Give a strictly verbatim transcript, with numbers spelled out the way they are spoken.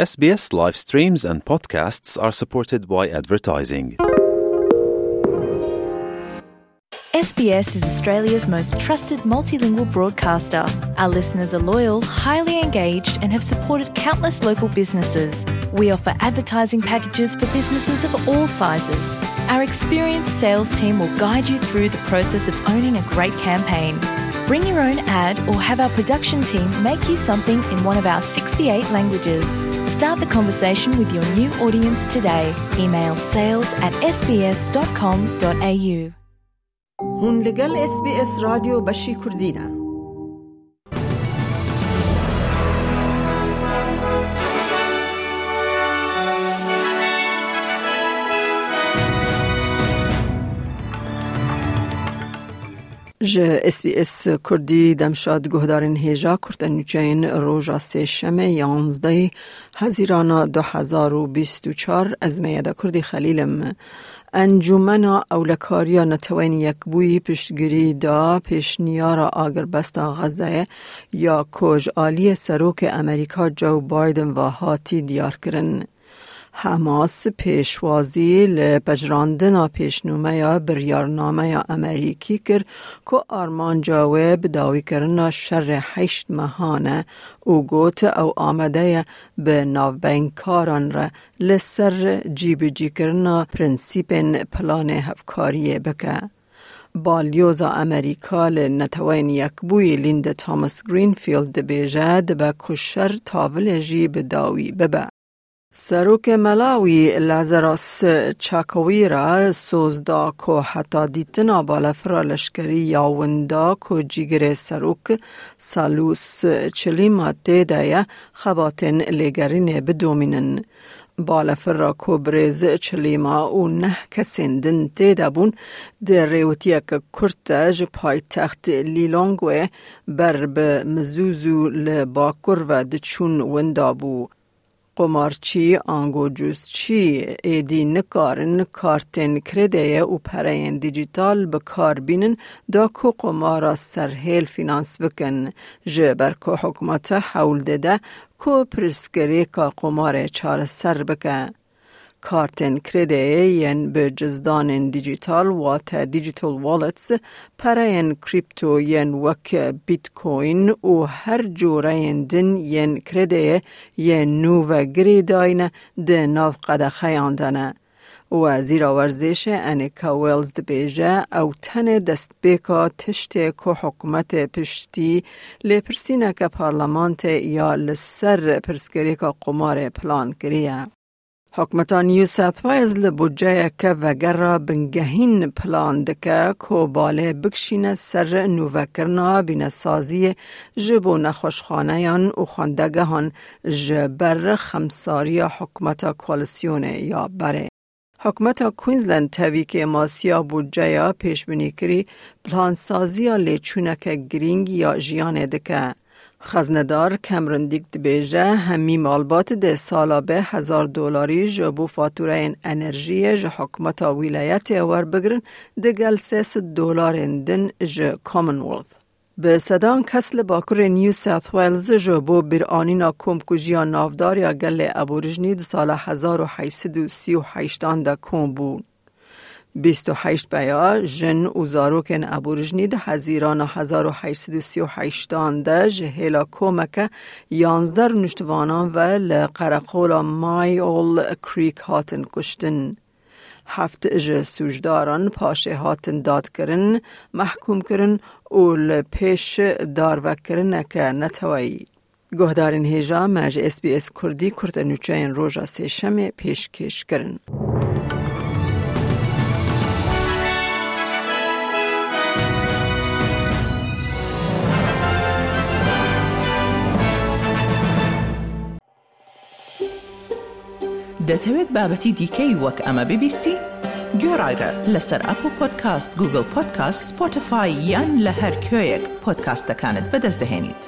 S B S live streams and podcasts are supported by advertising. S B S is Australia's most trusted multilingual broadcaster. Our listeners are loyal, highly engaged, and have supported countless local businesses. We offer advertising packages for businesses of all sizes. Our experienced sales team will guide you through the process of owning a great campaign. Bring your own ad or have our production team make you something in one of our sixty-eight languages. Start the conversation with your new audience today. Email sales at S B S dot com dot A U. Hûn li gel S B S Radyo Beşî Kurdî ne. Ji S B S Kurdî demşad guhdarên hêja kurte nûçeyên roja sêşemê yanzdehê Hezîrana du hezar û bîst û çar, ez Meyeda Kurdî Xelîl im. Encûmena Ewlekariya Neteweyên Yekbûyî piştgirî da pêşniyara agirbesta Xezeyê ya ku ji aliyê Serokê Amerîka Joe Biden ve hatî diyarkirin. Hamas pêşwazî li pejirandina pêşnûmeya biryarnameya Amerîkî kir ku armanca wê bi dawîkirina şerê heşt mehan e û got ew amade ye bi navbeynkkaran re li ser cîbicîkirina prensîpên planê hevkariyê bike. Balyoza Amerîka li Neteweyên Yekbûyî Linda Thomas Greenfield dibêje dibe ku şer tavilê jî bi dawî bibe. Serokê Malawî Lazarus Chakwera soz da ku heta dîtina balafira leşkerî ya winda ku cîgirê serok Salus Chilima tê de ye, xebatên lêgerînê bidomînin. Balafira ku birêz Chilima û neh kesên din tê de bûn, di rêwitiyeke kurt de ji paytext Lilongwe ber bi Mzuzu li bakur ve diçûn winda bû. Qomarçî ango cûzçî êdî nikarin kartên kredeyê û pereyên dîjîtal bi kar bînin, da ku qomara serhêl fînans bikin, ji ber ku hikûmete hewl dide ku pirsgirêka qomarê çareser bike. Kartên kredeyê yên bi cizdanên dîjîtal, wate digital wallets, pereyên krîpto yên wek Bitcoin û her cureyên din yên kredeyê yên nû ve girêdayî ne di nav qedexeyan de ne. Wezîra Werzêşê Anika Wells dibêje, ew tenê destpêka tiştê ku hikûmetê piştî lêpirsîneke parlamentoyê ya li ser pirsgirêka qomarê plan kiriye. Hikûmeta New South Wales li budceyeke vegerra bingehîn plan dike ku balê bikişîne ser nûvekirina bînesaziyê ji bo nexweşxaneyan û xwendegehan ji ber xemsariya hikûmeta koalîsyonê ya berê. Hikûmeta Queensland tevî kêmasiya budceya pêşbînîkirî, plansaziya lêçûneke girîng ya jiyanê dike. Xeznedar Cameron Dick dibêje, hemî malbat dê sala bê hezar dolarî ji bo fatûreyên enerjiyê ji hikûmeta wîlayetê werbigirin, digel sê sed dolarên din ji Commonwealth. Bi sedan kes li Bakurê New South Wales ji bo bîranîna komkujiya navdar ya gelê Aborîjnî di sala hezar û heşt sed û sî û heştan de kom bûn. Bîst û heşt peya jin û zarokên Aborîjnî di Hezîrana hezar û heşt sed û sî û heştan de ji hêla komeke yanzdeh nuştvanan ve li qereqola Myall Creek hatin kuştin. Heft ji sûcdaran paşê hatin dadkirin, mehkûmkirin û li pêş darvekirineke neteweyî. Guhdarên hêja me ji S B S Kurdî kurte nûçeyên roja sêşemê pêşkêş kirin. دەتەوێت بابەتی دیکەی وەک ئەمە ببیستی؟ گوێڕایرە لەسەر ئەپڵ پۆدکاست، گوگڵ پۆدکاست، سپۆتیفای یان لە هەر کوێیەک پۆدکاستەکانت بەدەست دەهێنیت.